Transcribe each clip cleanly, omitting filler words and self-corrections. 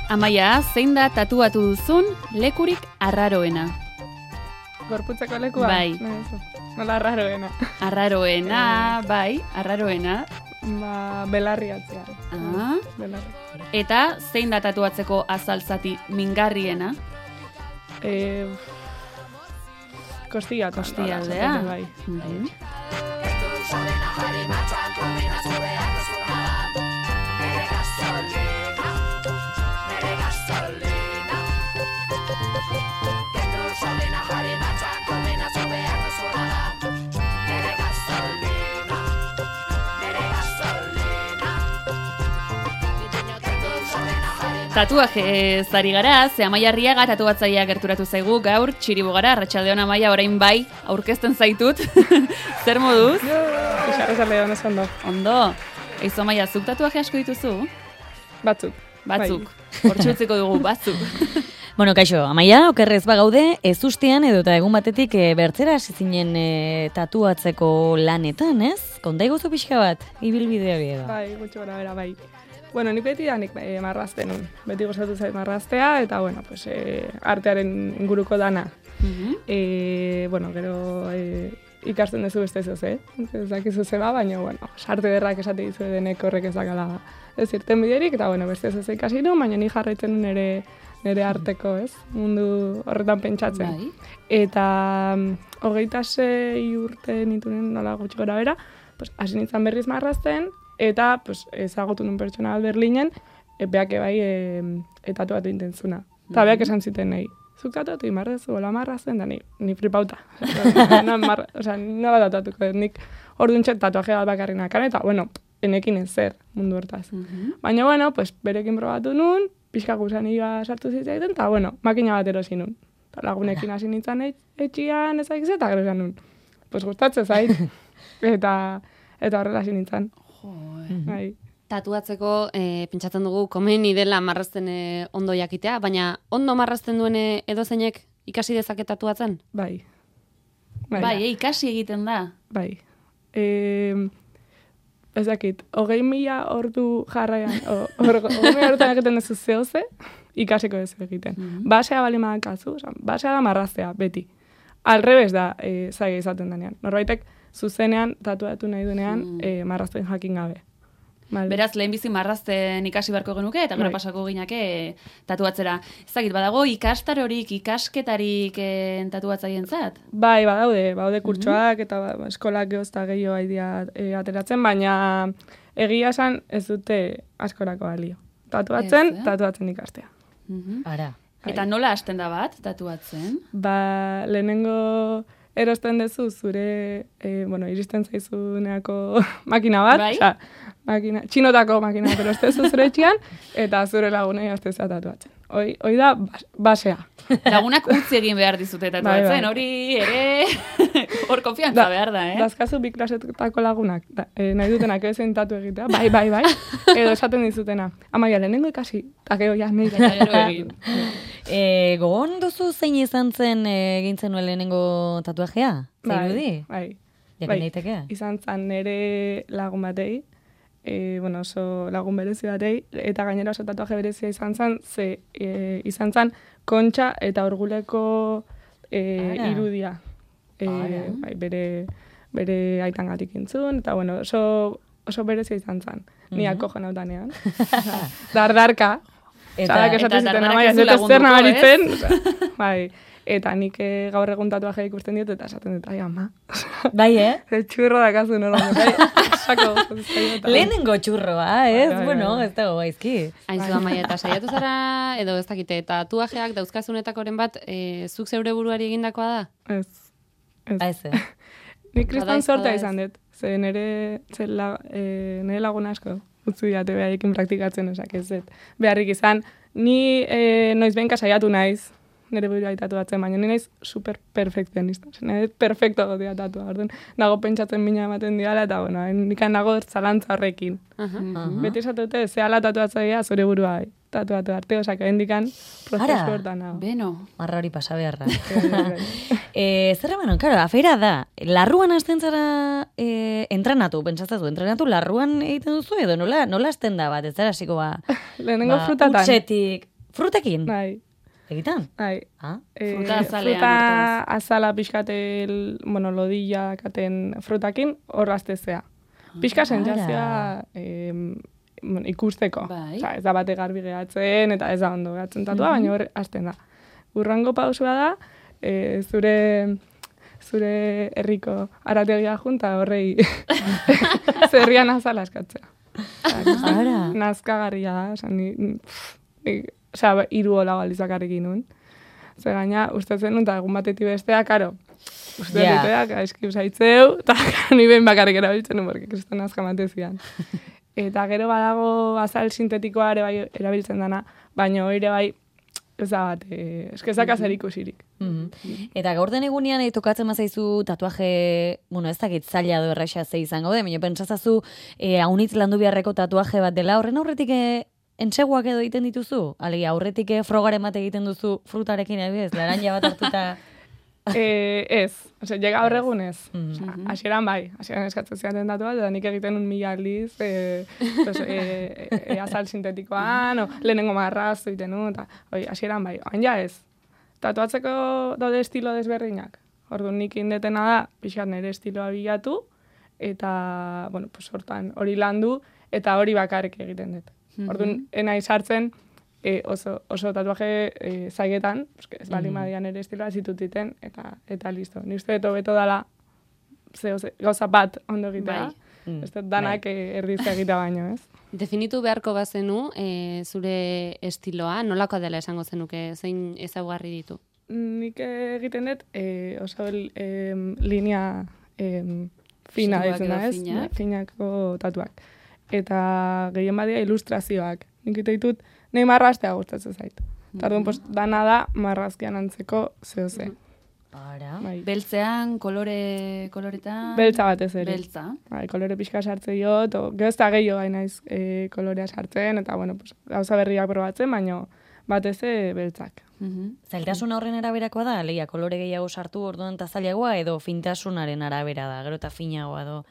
Amaia, zein da tatuatu duzun lekurik arraroena? Gorputzeko lekua? Bai. Nola arraroena. Arraroena, bai, arraroena. Belarri atzean. Belarri. Eta zein da tatuatzeko azaltzati mingarriena? Kostialdea. Bai. Tatuaje zari gara, ze Amaia Arriaga tatuatzailea gerturatu zaigu gaur, txiribogara, arratsaldeon Amaia, orain bai, aurkezten zaitut. Zer moduz? Arratsaldeon ez ondo. Ondo. Eizu Amaia, zuk tatuaje asko dituzu? Batzuk. Hortxe utziko dugu, batzuk. Bueno, kaixo, Amaia, okerrez bagaude, ez ustean edo eta egun batetik bertzera hasi zinen tatuatzeko lanetan, ez? Konta iguzu pixka bat, ibilbidea bide da. Bai, gutxo gara bera, bai. Bueno, ni beti da nik marrazten nun. Beti gozatu zait marraztea, eta, bueno, pues, artearen inguruko dana. Bueno, gero ikasten duzu beste zoz, ez dakizu zeba, baina, bueno, arte derrak esate dizu denek horrek ez dakala ez irten biderik, eta, bueno, beste zoz ikasi nun, baina ni jarraitzen nun nire arteko, ez? Mundu horretan pentsatzen. Bai. Eta 26 urte nitunen nola gutxi gora bera, pues, hasi nintzen berriz marrazten, eta pues, ezagutu nun pertsona bat Berlinen, beak bai tatuatu intentzuna. Eta beak esan ziten nahi, zuk tatuatu imarrezu, hola marrazen, da ni flipauta. No bat tatuatuko, nik orduntxet tatuaje bat bakarri nakan, eta bueno, enekin ez zer mundu hortaz. Baina bueno, pues, berekin probatu nun, pixka gusanioa sartu zitzaiten, eta bueno, makina bat erosi nun. Eta lagunekin hasi nintzen etxian ezakiz, eta gero esan nun. Pues gustatzen zait, eta horrela hasi nintzen. Bai. Tatuatzeko pentsatzen dugu komeni dela marrazten ondo jakitea, baina ondo marrazten duen edozeinek ikasi dezake tatuatzen? Bai. Bai, ikasi egiten da. Bai. Ez dakit, 20.000 ordu jarraian, 20.000 orduan egiten duzu zehoze, ikasiko ez egiten. Basea bali madakazu, basea da marraztea, beti. Alrebez da zaila izaten denean. Norbaitek zuzenean, tatuatu nahi duenean, marrazten jakin gabe. Beraz, lehenbizi marrazten ikasi beharko genuke, eta gero pasako ginake tatuatzera. Ezagit, badago ikastarorik, ikasketarik tatuatzaientzat? Bai, badaude kurtsoak, eta eskolak geozta gehiago haidia ateratzen, baina egia esan ez dute askorako balio. Tatuatzen ikastea. Ara. Eta nola hasten da bat, tatuatzen? Lehenengo erosten dezu zure, iristen zaizuneako makina bat, bai? Txinotako makina bat erostezu zure etxian, eta zure lagunei hasteza tatuatzen. Hoi da basea. Lagunak utzi egin behar dizute tatuatzen, hori ere hor konfiantza behar da, Dazkazu bi klasetako lagunak, nahi dutenak ezen tatu egitea, bai, edo esaten dizutena. Amaia, lehenengo ikasi, takeo ja, nahi gero egin. Gogon duzu zein izan zen egintzen nuen lehenengo tatuajea? Zairudi? Bai. Jakin daiteke? Izan zen nire lagun batei, oso lagun berezi batei, eta gainera oso tatuaje berezia izan zen, izan zen kontxa eta orguleko irudia. Bere aitangatik intzun, eta oso berezia izan zen. Niako jonautanean. Dardarka. Zadak esaten zuten Amaia, ez zer nabaritzen. Bai. Eta nik gaur egun tatuajea ikusten diot, eta esaten dut, ai, ama. Bai, Txurro dakazu nola. Lehenengo txurroa, ez? Bueno, ez dago gaizki. Aizu, Amaia, eta saiatu zara, edo ez dakite, tatuajeak dauzkazunetakoren bat, zuk zeure buruari egindakoa da? Ez. Nik kriston sortea izan dut. Ze nire laguna asko utzu diate behaiekin praktikatzen, osak ez dut. Beharrik izan, ni noiz behinka saiatu naiz, nire burua tatuatzen, baina nire naiz super perfekzionista. Nire perfecto gotia tatua. Nago pentsatzen mina ematen diala, eta nikan nago zalantza horrekin. Beti esatute, zehala tatuatzaia zure burua tatuatu arte, osak, hendikan prozesu hortan nago. Beno. Marra hori pasa beharra. Zer emanon, karo, afeira da, larruan hasten zara entrenatu, larruan egiten duzu edo nola hasten da bat, ez zara hasiko lehenengo frutatan. Utsetik, Frutekin? Bai, Egitan? bai. Ah? Fruta azalean, Fruta urtaz. azala pixkate, lodilla katen frutakin hor aztezea. Pixka sentsazioa ikusteko. Bai. Osea, ez da bate garbi gehatzen, eta ez da ondo gehatzen tatua, baina hor hasten da. Urrango pausua da, zure herriko arategia junta horrei zerrian azala eskatzea. Ara. Nazkagarria da, hiru hola balizakarrekin nun. Zer gaina, ustetzen nun, eta egun batetik bestea, karo, uste Ja. diteak, aizki usaitzeu, eta ni behin bakarrik erabiltzen nun, porque kriston azka matezian. Eta gero badago azal sintetikoa ere bai erabiltzen dana, baina ere bai, ez da bat, eskezak azer ikusirik. Eta gaur den egunean tokatzen mazaizu tatuaje, ez dakit zaila do erraxa ze izango de, baina pentsazazu haunitz landu beharreko tatuaje bat dela, horren aurretik entseguak edo egiten dituzu? Alegia, aurretik frogaren bat egiten duzu frutarekin ebiz, laranja bat hartuta... Ez, llega horregun ez. Hasieran bai, hasieran eskatzen ziaten datu bat, eta nik egiten un 1000 aldiz, azal sintetikoan, lehenengo marrazo egiten nu, eta hasieran bai, oain ja ez. Tatuatzeko daude estilo desberdinak. Orduan nik indetena da, pixat nire estiloa bilatu, eta, hortan hori landu, eta hori bakarrik egiten dut. Orduan, enai sartzen, oso tatuaje zaigetan, ez bali madian ere estiloa zitutiten, eta listo. Ni uste beto dala gauza bat ondo egitea. Ez dut danak erdizka egitea baino, ez? Definitu beharko bazenu zure estiloa, nolako dela esango zenuke, zein ezaugarri ditu? Nik egiten dut oso linea fina Zuak ditzen da, edo ez? finak. Finako tatuak. Eta gehien badia ilustrazioak. Nik ditut, nahi marraztea gustatzen zait. Tardun, dana da marrazkian antzeko zehose. Ara. Bai. Beltzean, koloretan... Beltza batez ere. Beltza. Bai, kolore pixka sartze jot, gero ez da gehiago gai naiz kolorea sartzen, eta gauza berriak probatzen, baina batez beltzak. Zailtasun horren araberakoa da, alegia, kolore gehiago sartu orduan eta zailagoa, edo fintasunaren arabera da, gero eta finagoa do.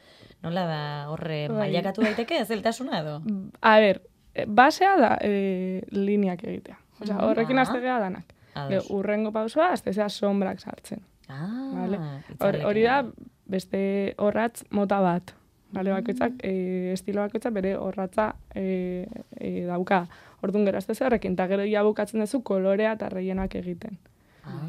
Nola da horre mailakatu daiteke, zailtasuna edo? A ber, basea da lineak egitea. Osea, horrekin aztegea danak. Urrengo pausua, aztezea sombrak sartzen. Vale? Hori da, beste horratz mota bat. Vale, bakoitzak, estilo bakoitzak bere horratza dauka. Orduan gero aztezea horrekin, eta gero ia bukatzen duzu kolorea eta reienoak egiten.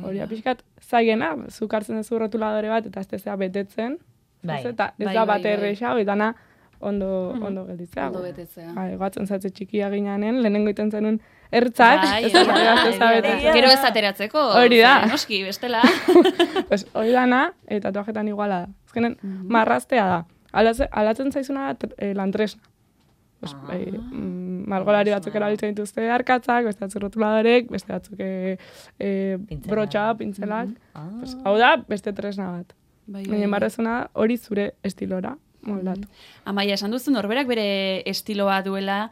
Hori da, pixkat, zaigena, zuk hartzen duzu rotuladore bat, eta aztezea betetzen, eta ez da bat erresa, hori dana ondo gelditzea. Ondo betetzea. Gatzen zatze txikia ginanen, lehenengo iten zenun ertzak, ez da betetzen. Gero ez ateratzeko. Hori da. Noski, bestela. Hori dana, tatuajetan iguala da. Ezkenen, marraztea da. Alatzen zaizuna lantresna. Margolari batzuk erabiltzen dituzte arkatzak, beste batzuk rotuladorek, beste batzuk brotxa, pintzelak. Hau da, beste tresna bat. Baina marrazuna hori zure estilora moldatu. Amaia, esan duzu norberak bere estiloa duela,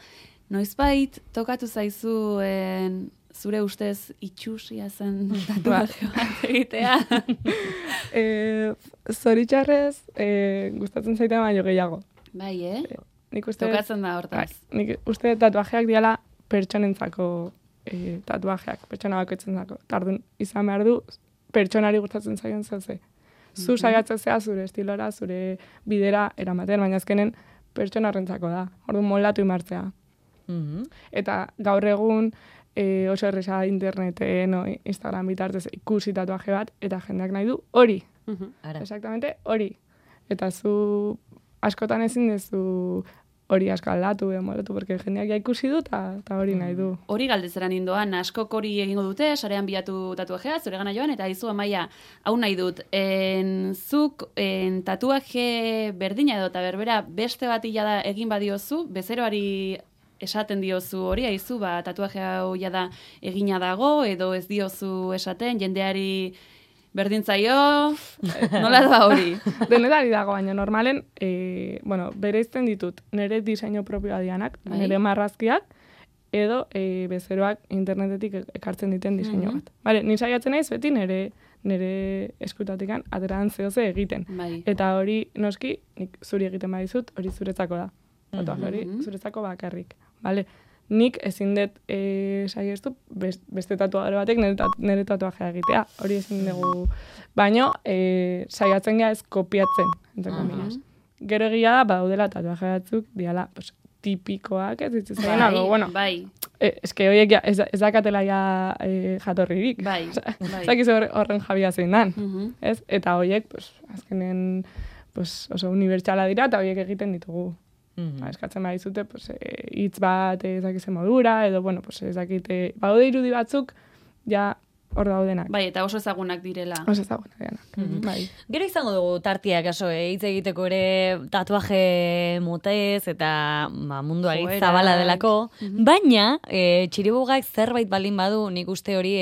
noizbait tokatu zaizuen zure ustez itxusia zen tatuaje bat egitea? Zoritxarrez, gustatzen zaiten baino gehiago. Bai, Tokatzen da hortaz. Nik uste tatuajeak diala pertsonentzako tatuajeak, pertsona bakoitzentzako. Tardun, izan behar du, pertsonari gustatzen zaion zeuze. Zu saiatzen zea zure estilora, zure bidera eramaten, baina azkenen pertsona horrentzako da. Orduan moldatu imartzea. Eta gaur egun oso erresa interneten, Instagram bitartez ikusi tatuaje bat, eta jendeak nahi du hori. Exactamente hori. Eta zu askotan ezin dezu hori asko aldatu, moldatu, porque jendeak ja ikusi du, eta hori nahi du. Hori galdezera nindoan, askok hori egingo dute, sarean bilatu tatuajea, zure gana joan, eta izu Amaia, hau nahi dut, zuk tatuaje berdina edo eta berbera beste bat da egin badiozu, bezeroari esaten diozu hori, aizu, tatuaje hau da egina dago, edo ez diozu esaten, jendeari berdintzaio, nola da hori? Denetari dago, baina normalen, bereizten ditut, nire diseinu propioa dianak, nire marrazkiak, edo bezeroak internetetik ekartzen diten diseinu bat. Bale, ni saiatzen naiz beti nire eskutatikan ateran zehoze egiten. Eta hori, noski, nik zuri egiten badizut, hori zuretzako da. Hori zuretzako bakarrik. Bale, nik ezin dut saiestu beste tatuadore batek nire tatuajea egitea. Hori ezin dugu. Baina saiatzen gara ez kopiatzen, entre comillas. Gero egia da, badaudela tatuaje batzuk, diala, pues, tipikoak, ez ditzatzen, bueno. Bai. Eske horiek ja, ez dakatela ja jatorririk. Bai. Ez dakiz horren jabia zein dan. Ez? Eta horiek, pues, azkenen, pues, oso unibertsala dira, eta horiek egiten ditugu. Eskatzen badizute, pues, hitz bat ez dakizen modura, edo, bueno, pues, ez dakite, badaude irudi batzuk, ja, hor daudenak. Bai, eta oso ezagunak direla. Oso ezagunak direnak. Bai. Gero izango dugu tartia, kaso, hitz egiteko ere tatuaje motez eta mundua zabala delako. Baina, txiribugak zerbait balin badu, nik uste hori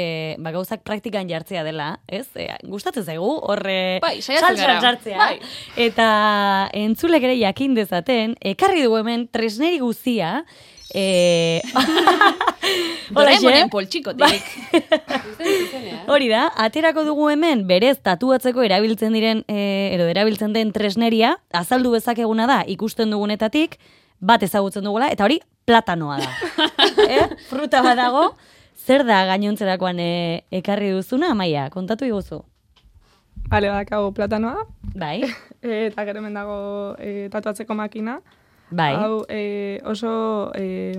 gauzak praktikan jartzea dela, ez? Gustatzen zaigu, horre bai, saiatzen sartzea. Bai. Eta entzulek ere jakin dezaten, ekarri dugu hemen tresneri guztia, Doraemonen poltsikotik. Hori da, aterako dugu hemen berez tatuatzeko erabiltzen diren erabiltzen den tresneria, azaldu bezakeguna da ikusten dugunetatik, bat ezagutzen dugula, eta hori platanoa da. Fruta bat dago, zer da gainontzerakoan ekarri duzuna, Amaia, kontatu iguzu. Bale, badakago platanoa. Bai. Eta gero hemen dago tatuatzeko makina. Bai. Hau oso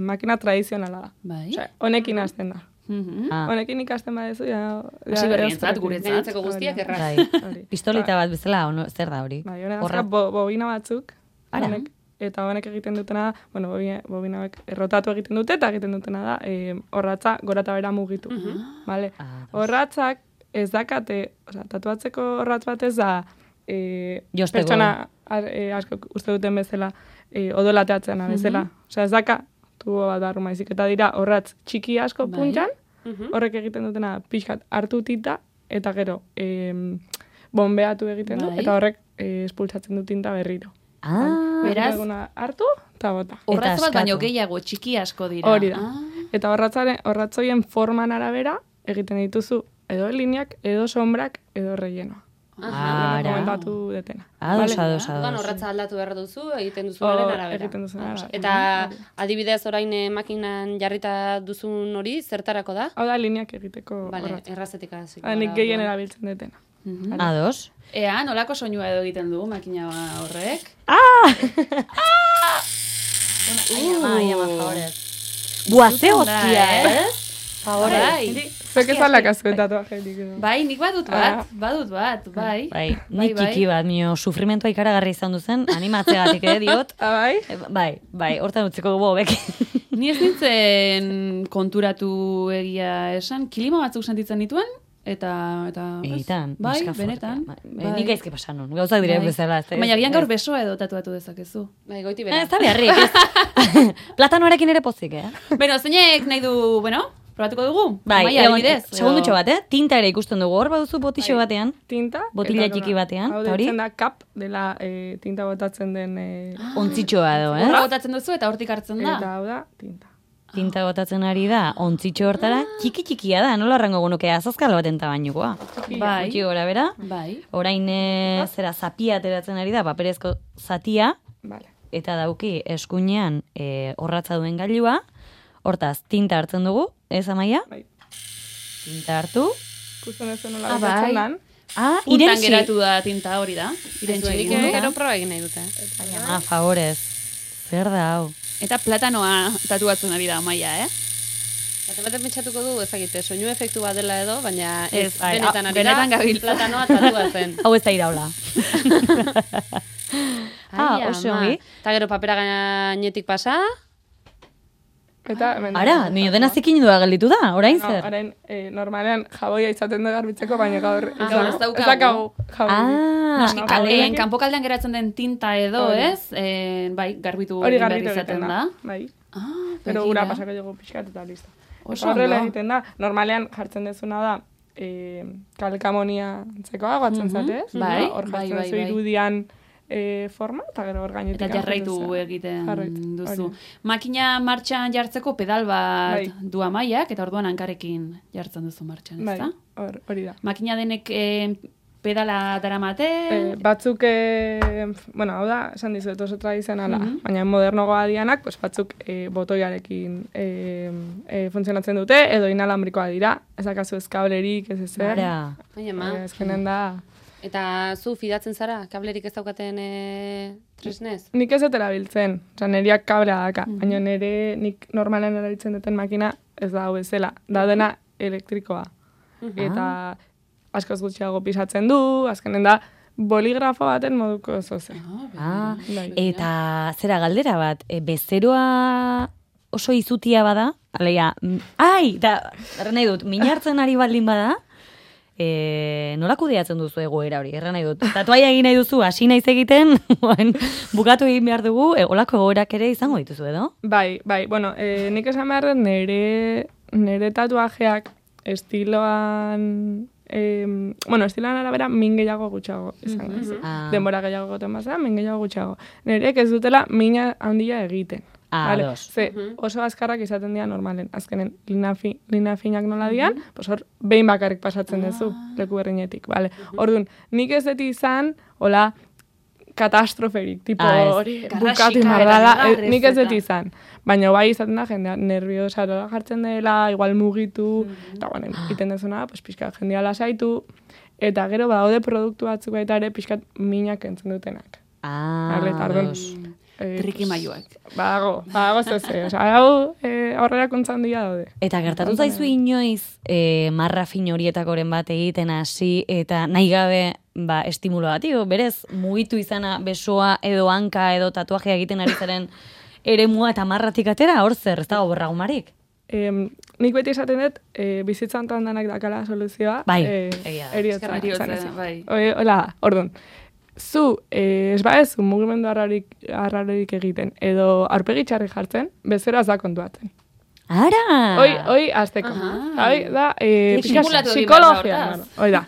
makina tradizionala da. Bai. Osea, honekin hasten da. Honekin ikasten badezu, hasi berrientzat, guretzat. Guztiak erraz. Bai. Pistolita bat bezala, zer da hori? Bai, horrek bobina batzuk. Honek, eta honek egiten dutena da, bueno, bobina hauek errotatu egiten dute, eta egiten dutena da, orratza gora eta bera mugitu. Vale? Orratzak ez dakate, osea, tatuatzeko orratz bat ez da, pertsona asko uste duten bezala, odolateatzen bezala. Osea, ez daka, tubo bat barru maizik, eta dira orratz txiki asko puntan, horrek egiten dutena pixkat hartu tinta, eta gero bombeatu egiten du, eta horrek espultzatzen du tinta berriro. Beraz, hartu, eta bota. Orratz bat baino gehiago, txiki asko dira. Hori da. Eta orratzoien forman arabera egiten dituzu edo lineak, edo sombrak, edo rellenoa. Komentatu detena. Ados. Orratza aldatu behar duzu, egiten duzunaren arabera. Egiten duzunaren arabera. Eta adibidez orain makinan jarrita duzun hori, zertarako da? Hau da lineak egiteko orratza. Errazetik aziko. Nik gehien erabiltzen detena. Ados. Ea, nolako soinua edo egiten du makina horrek? Ama, favorez. Buazte hostia, Favorez. Zuek ez alakazko tatuajetik. Bai, nik badut bat, bai. Nik txiki bat, mio sufrimentua ikaragarri izan duzen, animatzegatik diot. Bai? Bai, hortan utziko dugu hobek. Ni ez nintzen konturatu egia esan, kilima batzuk sentitzen dituen, eta Egitan, bai, benetan. Nik aizke pasan nun, gauzak dire bezala. Baina gian gaur besoa edo tatuatu dezakezu. Bai, goiti bera. Ez da beharrik, Platanoarekin ere pozik, Beno, zeinek nahi du, probatuko dugu? Bai, segundutxo bat, tinta ere ikusten dugu, hor baduzu botixo batean. Tinta. Botila txiki batean. Hau deitzen da kap, dela tinta botatzen den... Ontzitxoa edo, Horra botatzen duzu eta hortik hartzen da. Eta hau da, tinta. Tinta botatzen ari da, ontzitxo hortara, txiki-txikia da, nola arrango gunuke azazkal baten tabainukoa. Bai. Gutxi gora bera. Bai. Orain zera zapia ateratzen ari da, paperezko zatia, Vale. eta dauki eskuinean orratza duen gailua, hortaz, tinta hartzen dugu, ez Amaia? Bai. Tinta hartu. Ikusten ez nola botatzen dan. Puntan geratu da tinta hori da. Irentxe Nik gero proba egin nahi dute. Ama, favorez. Zer da, hau? Eta platanoa tatuatzen ari da Amaia, Baten pentsatuko du, ezagite, soinu efektu bat dela edo, baina ez, bai, benetan ari benetan da, gabiltza. platanoa tatuatzen. Hau ez da iraula. Oso ongi. Eta gero papera gainetik pasa. Eta Ara, nio dena zikin dua gelditu da, orain zer? Orain, normalean jaboia izaten da garbitzeko, baina gaur ez daukagu. Jaboia. Kalean, kanpokaldean geratzen den tinta edo, ez? Bai, garbitu Hori behar garbitu izaten egiten da. da. Bai. Pero ura pasako dugu pixkat eta listo. Oso Horrela ondo. egiten da, normalean jartzen dezuna da, kalkamonia antzekoa guatzen zatez. Bai, Hor bai, jartzen bai, zu bai. irudian forma, eta gero hor gainetik. Eta jarraitu egiten Jarraitu, duzu. hori. Makina martxan jartzeko pedal bat Bai. du Amaiak, eta orduan hankarekin jartzen duzu martxan, Bai, ezta? hori da. Makina denek pedala daramate? Batzuk, bueno, hau da, esan dizuet oso tradizionala, baina modernogoa dianak, pues, batzuk botoiarekin funtzionatzen dute, edo inalambrikoa dira, ezakazu ez kablerik, ez ezer. Ezkenen da... Eta zu fidatzen zara, kablerik ez daukaten tresnez? Nik ez dut erabiltzen, niriak kablea daka, baina nik normalen erabiltzen duten makina ez da hau bezala, da dena elektrikoa. Eta askoz gutxiago pisatzen du, azkenen da boligrafo baten moduko zoze. Eta zera galdera bat, bezeroa oso izutia bada, aleia, da, nahi dut, minartzen ari baldin bada, nola kudeatzen duzu egoera hori, nahi dut. Tatuaia egin nahi duzu, hasi naiz egiten, bukatu egin behar dugu, olako egoerak ere izango dituzu, edo? Bai, bueno, nik esan behar dut nire tatuajeak estiloan arabera min gehiago gutxago izango. Denbora gehiago goten bazera, min gehiago gutxago. Nireek ez dutela mina handia egiten. Ze oso azkarrak izaten dira normalen. Azkenen, lina finak nola dian, hor behin bakarrik pasatzen duzu, leku berrinetik. Orduan, nik ez dut izan, hola, katastroferik, tipo hori, bukatu mardala, nik ez dut izan. Baina bai izaten da, jendea nerviosa jartzen dela, igual mugitu, eta bueno, iten dezuna, pixka jendea lasaitu, eta gero badaude produktu batzuk baita ere pixkat minak entzen dutenak. Trikimailuak. Bago zeze, hau aurrera kontzan dira daude. Eta gertatu zaizu inoiz marra fin horietakoren bat egiten hasi, eta nahi gabe estimulo bat, berez, mugitu izana besoa edo hanka edo tatuajea egiten ari zaren eremua eta marratik atera, hor zer, ez dago berragumarik? Nik beti esaten dut, bizitzan danak dakala soluzioa. Eriotza. Hola, orduan. Zu, ez baezu mugimendu arrarorik egiten, edo aurpegi txarri jartzen, bezero az da kontuatzen. Ara! Hoi azteko. Hoi da, psikologia. Hoi da.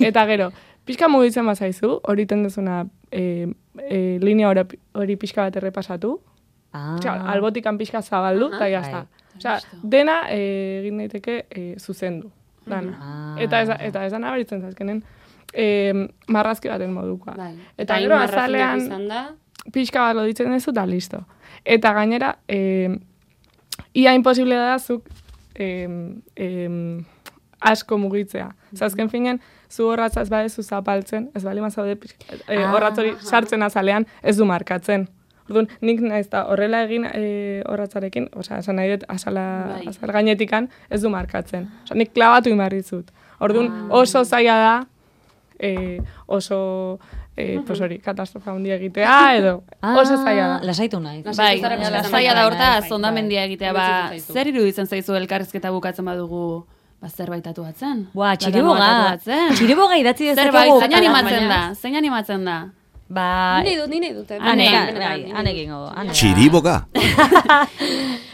Eta gero, pixka mugitzen bazaizu, hori tendezuna linea hori pixka bat errepasatu, albotikan pixka zabaldu, eta jazta. Dena egin daiteke zuzendu. Eta ez da nabaritzen zazkenen, marrazki baten modukoa. Eta gero azalean pixka bat loditzen duzu eta listo. Eta gainera, ia imposible da zuk asko mugitzea. Zazken finen, zu horratzaz badezu zapaltzen, ez bali mazaude horratzori sartzen azalean, ez du markatzen. Orduan, nik naiz da horrela egin horratzarekin, esan nahi dut azal gainetikan, ez du markatzen. Nik klabatu inbarrizut. Orduan, oso zaila da, oso katastrofa handia egitea, edo oso zaila da. Lasaitu nahi. Bai, zaila da hortaz, ondamendia egitea, zer iruditzen zaizu elkarrizketa bukatzen badugu zerbait tatuatzen? Txiriboga idatzi dezakegu. Zein animatzen da? Ni nahi dut. Han egingo du. Txiriboga.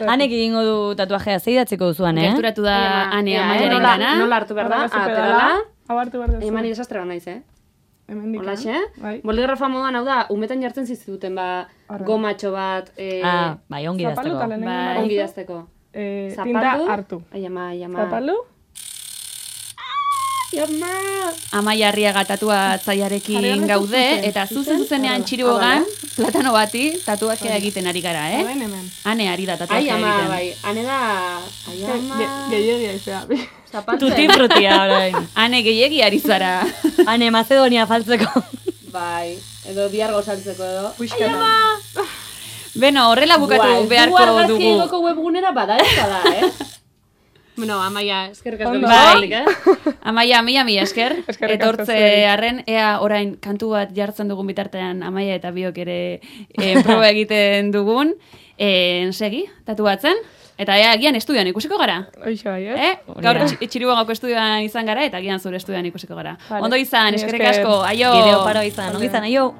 Han egingo du tatuajea, zeidatzeko duzuan, Gerturatu da Ane Amaiaren gana. Nola hartu behar da? Aterala. Abartu behar duzu. Eman idesastre naiz, Olaxe? Boligrafa moduan, hau da, umetan jartzen ziztuten, gomatxo bat. Bai, ongi dazteko. Ongi dazteko. Tinta hartu. Zapalu? Amaia Arriaga tatuatzailearekin gaude, eta zuzenean Txiribogan, platano bati, tatuajea egiten ari gara, Ane ari da tatuajea egiten. Bai, Ane da... Gehiagia izea. Tuti frutia, orain. Ane gehiegi ari zara. Ane Macedonia faltzeko. Bai, edo biargo saltzeko edo. Beno, horrela bukatu beharko dugu. Du argazki egoko webgunera bada ez da, Bueno, Amaia, eskerrik asko. Bai, Amaia, mila esker. Etortze arren, ea orain kantu bat jartzen dugun bitartean Amaia eta biok ere proba egiten dugun. Segi, tatuatzen. Eta ea, agian estudioan ikusiko gara. Oixo, bai, Gaur Txiribogako estudioan izan gara, eta agian zure estudioan ikusiko gara. Ondo izan, eskerrik asko, aio. Bideo paro izan, ondo izan, aio.